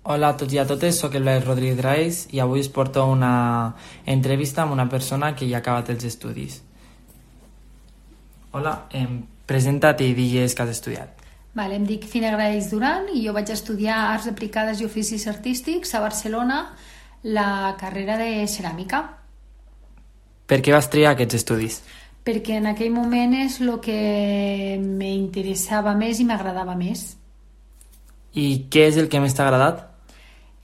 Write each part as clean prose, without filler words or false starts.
Hola a tots i a totes, sóc el Blai Rodríguez Raes i avui us porto una entrevista amb una persona que ja ha acabat els estudis. Hola, presenta't i digues que has estudiat. Vale, em dic Fina Graells Duran i jo vaig estudiar Arts Aplicades i Oficis Artístics a Barcelona, la carrera de ceràmica. Per què vas triar aquests estudis? Perquè en aquell moment és el que m'interessava més i m'agradava més. I què és el que més t'ha agradat?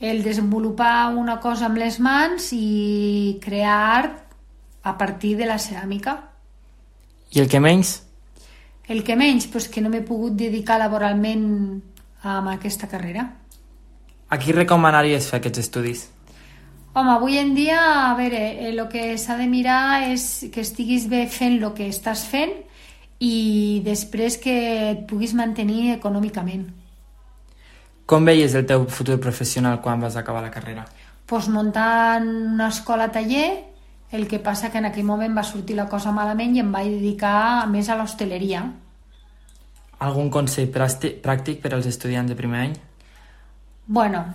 El desenvolupar una cosa amb les mans i crear art a partir de la ceràmica. I el que menys? El que menys, doncs que no m'he pogut dedicar laboralment a aquesta carrera. A qui recomanaries fer aquests estudis? Home, avui en dia, a veure, el que s'ha de mirar és que estiguis bé fent el que estàs fent i després que et puguis mantenir econòmicament. Com veies el teu futur professional quan vas acabar la carrera? Doncs muntant una escola-taller, el que passa que en aquell moment va sortir la cosa malament i em vaig dedicar més a l'hostaleria. Algun consell pràctic per als estudiants de primer any? Bueno,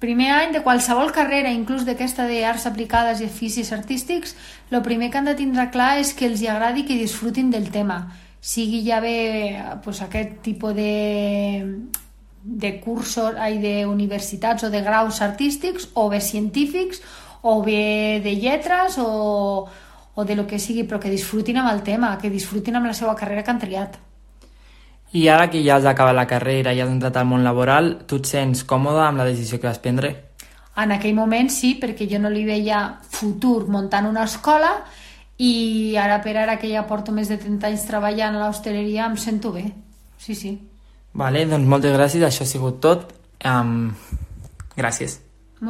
primer any de qualsevol carrera, inclús d'aquesta d'arts aplicades i oficis artístics, el primer que han de tindre clar és que els hi agradi i que disfrutin del tema. Sigui ja bé doncs, aquest tipus de cursos, d'universitats o de graus artístics, o bé científics, o bé de lletres, o de lo que sigui, però que disfrutin amb el tema, que disfrutin amb la seva carrera que han triat. I ara que ja has acabat la carrera i has entrat al món laboral, tu et sents còmode amb la decisió que vas prendre? En aquell moment sí, perquè jo no li veia futur muntant una escola i ara per ara que ja porto més de 30 anys treballant a l'hostaleria em sento bé, sí. Vale, doncs moltes gràcies, això ha sigut tot. Gràcies.